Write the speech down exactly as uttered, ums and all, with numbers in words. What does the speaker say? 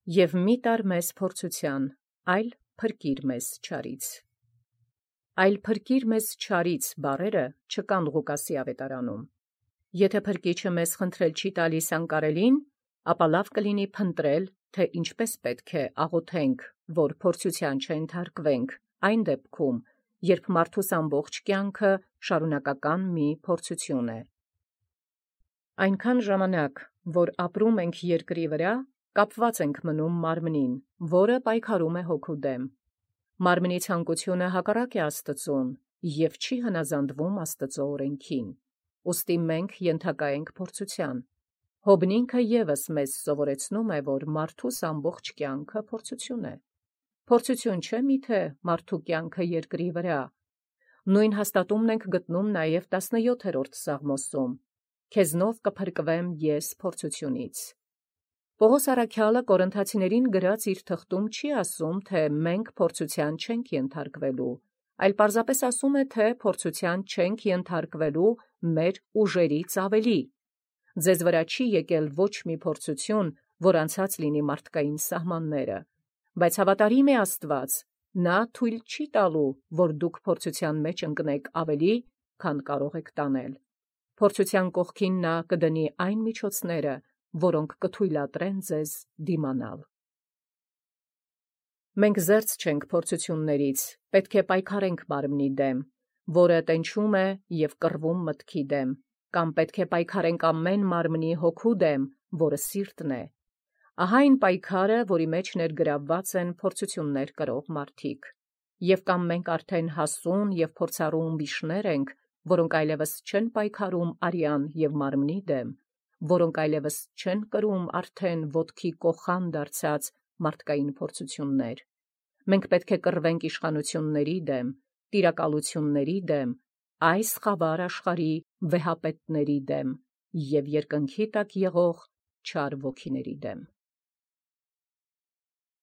Եւ մի տար մեզ փորձութեան, այլ փրկիր մեզ չարից։ Այլ փրկիր մեզ չարից բառերը չկան Ղուկասի ավետարանում։ Եթե փրկիչը մեզ խնդրել չի տալիս անկարելին, ապա լավ կլինի փնտրել, թե ինչպես պետք է աղոթենք, որ փորձութեան չենթարկվենք, այն դեպքում, երբ մարդուս ամբողջ կյանքը շարունակական մի փորձութիւն է։ Այնքան ժամանակ, որ ապրում ենք երկրի վրա, կապված ենք մնում մարմնին, որը պայքարում է հոգու դեմ։ Մարմնի ցանկությունը հակառակ է Աստծուն և չի հնազանդվում Աստծո օրենքին։ Ուստի մենք ենթակա ենք փորձութեան։ Հոբնինքը ևս մեզ սովորեցնում է, որ մարդուս ամբողջ կյանքը փորձութիւն է։ Փորձութիւն չէ՞ միթե մարդու կյանքը երկրի վրա։ Նույն հաստատումն ենք գտնում նաև տասնյոթերորդ Սաղմոսում. «Քեզնով կփրկվեմ ես փորձութիւնից»։ Պողոս առաքյալը Կորինթացիներին գրած իր թղթում չի ասում, թե մենք փորձութեան չենք ենթարկվելու, այլ պարզապես ասում է, թե փորձութեան չենք ենթարկվելու մեր ուժերից ավելի։ Ձեզ վրա չի եկել ոչ մի փորձութիւն, որ անցած լինի մարդկային սահմանները, բայց հավատարիմ է Աստված, նա թույլ չի տալու, որ դուք փորձութեան մեջ ընկնեք ավելի, քան կարող եք տանել։ Փորձութեան կողքին նա կդնի այն միջոցները, որոնք կթույլատրեն ձեզ դիմանալ։ Մենք զերծ չենք փորձութիւններից, պետք է պայքարենք մարմնի դեմ, որը տենչում է և կռվում մտքի դեմ, կամ պետք է պայքարենք ամեն մարմնի հոգու դեմ, որը սիրտն է։ Ահա այն պայքարը, որի մեջ ներգրավված են փորձութիւններ կրող մարդիկ։ Եվ կամ մենք արդեն հասուն և փորձառու ումբիշներ ենք, որոնք այլևս չեն պայքարում արյան և մարմնի դեմ, որոնք այլևս չեն կրում արդեն ոտքի կոխան դարձած մարդկային փորձութիւններ։ Մենք պետք է կռվենք իշխանությունների դեմ, տիրակալությունների դեմ, այս խավար աշխարհի վեհապետների դեմ և երկնքի տակ եղող չար ոգիների դեմ։